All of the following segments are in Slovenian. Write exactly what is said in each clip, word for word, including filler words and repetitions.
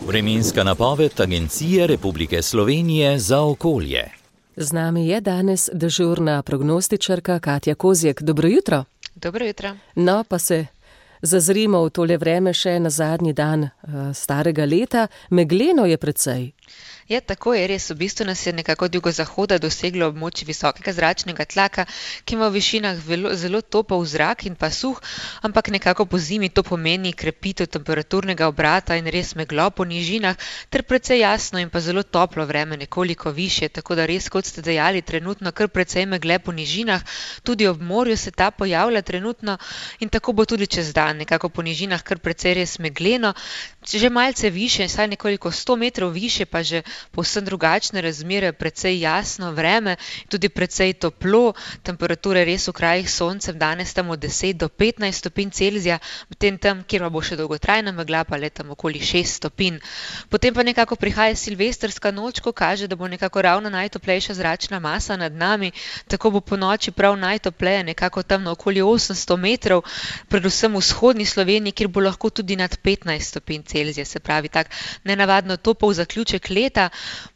Vremenska napoved Agencije Republike Slovenije za okolje. Z nami je danes dežurna prognostičarka Katja Kozjek. Dobro jutro. Dobro jutro. No, pa se zazrimo v tole vreme še na zadnji dan uh, starega leta. Megleno je precej. Ja, tako je res. V bistvu nas je nekako od jugozahoda doseglo območje visokega zračnega tlaka, ki ima v višinah velo, zelo topel zrak in pa suh, ampak nekako po zimi to pomeni krepitev temperaturnega obrata in res meglo po nižinah, ter precej jasno in pa zelo toplo vreme, nekoliko višje, tako da res, kot ste dejali, trenutno kar precej megle po nižinah, tudi ob morju se ta pojavlja trenutno in tako bo tudi čez dan, nekako po nižinah kar precej res megleno, že malce više, saj nekoliko sto metrov više, pa že povsem drugačne razmere, precej jasno vreme, tudi precej toplo, temperature res v krajih s soncem danes tam od deset do petnajst stopinj Celzija, medtem tam, kjer pa bo še dolgotrajna megla, pa le tam okoli šest stopinj. Potem pa nekako prihaja silvestrska noč, ko kaže, da bo nekako ravno najtoplejša zračna masa nad nami, tako bo po noči prav najtopleje, nekako tam na okoli osemsto metrov, predvsem v vzhodni Sloveniji, kjer bo lahko tudi nad petnajst stopinj Celzija, se pravi tak nenavadno topel zaključek leta.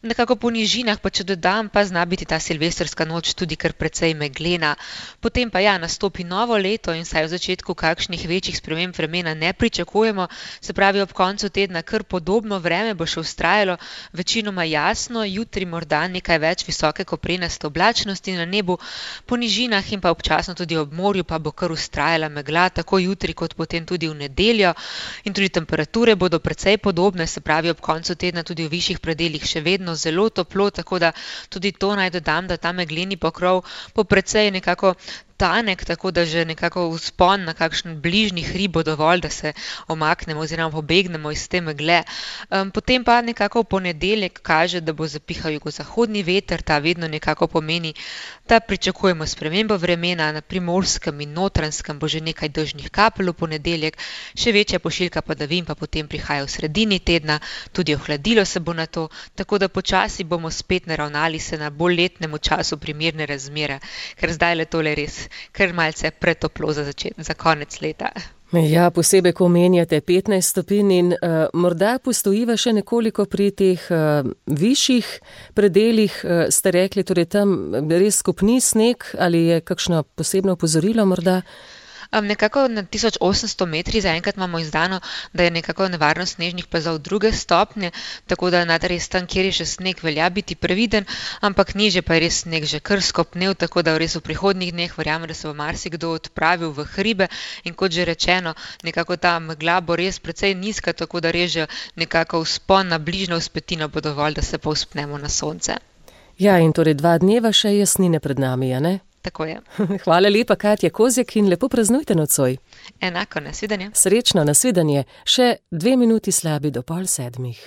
Nekako po nižinah, pa če dodam, pa zna biti ta silvestrska noč tudi kar precej meglena. Potem pa ja, nastopi novo leto in saj v začetku kakšnih večjih sprememb vremena ne pričakujemo, se pravi ob koncu tedna kar podobno vreme bo še vztrajalo, večinoma jasno, jutri morda nekaj več visoke koprenaste oblačnosti na nebu, po nižinah in pa občasno tudi ob morju pa bo kar vztrajala megla, tako jutri kot potem tudi v nedeljo in tudi temperature bodo precej podobne, se pravi ob koncu tedna tudi v višjih predeljih še vedno zelo toplo, tako da tudi to naj dodam, da ta megleni pokrov po precej nekako tanek, tako da že nekako vzpon na kakšen bližnji hrib bo dovolj, da se omaknemo oziroma pobegnemo iz te megle. Um, potem pa nekako v ponedeljek kaže, da bo zapihal jugozahodni veter, ta vedno nekako pomeni, da pričakujemo spremembo vremena, na Primorskem in Notranjskem bo že nekaj dežnih kapelj v ponedeljek, še večja pošiljka padavin pa potem prihaja v sredini tedna, tudi ohladilo se bo na to, tako da počasi bomo spet naravnali se na bolj letnemu času primerne razmere, ker zdaj le tole res kar malce pretoplo za, začet, za konec leta. Ja, posebej, ko omenjate petnajst stopinj in uh, morda postojiva še nekoliko pri teh uh, višjih predeljih, uh, ste rekli, torej tam res skupni sneg ali je kakšno posebno opozorilo morda? Um, nekako na tisoč osemsto metri zaenkrat imamo izdano, da je nekako nevarnost snežnih plazov druge stopnje, tako da nad res tam, kjer je še sneg, velja biti previden, ampak niže pa je res sneg že kar skopnel, tako da res v prihodnjih dneh verjamem, da se bo marsikdo odpravil v hribe in kot že rečeno, nekako ta megla bo res precej nizka, tako da res že nekako vzpon na bližnjo vzpetino bo dovolj, da se povzpnemo na sonce. Ja, in torej dva dneva še jasnine pred nami, a ne? Tako je. Hvala lepa, Katja Kozjek, in lepo praznujte nocoj. Enako, nasvidenje. Srečno, nasvidenje. Še dve minuti slabi do pol sedmih.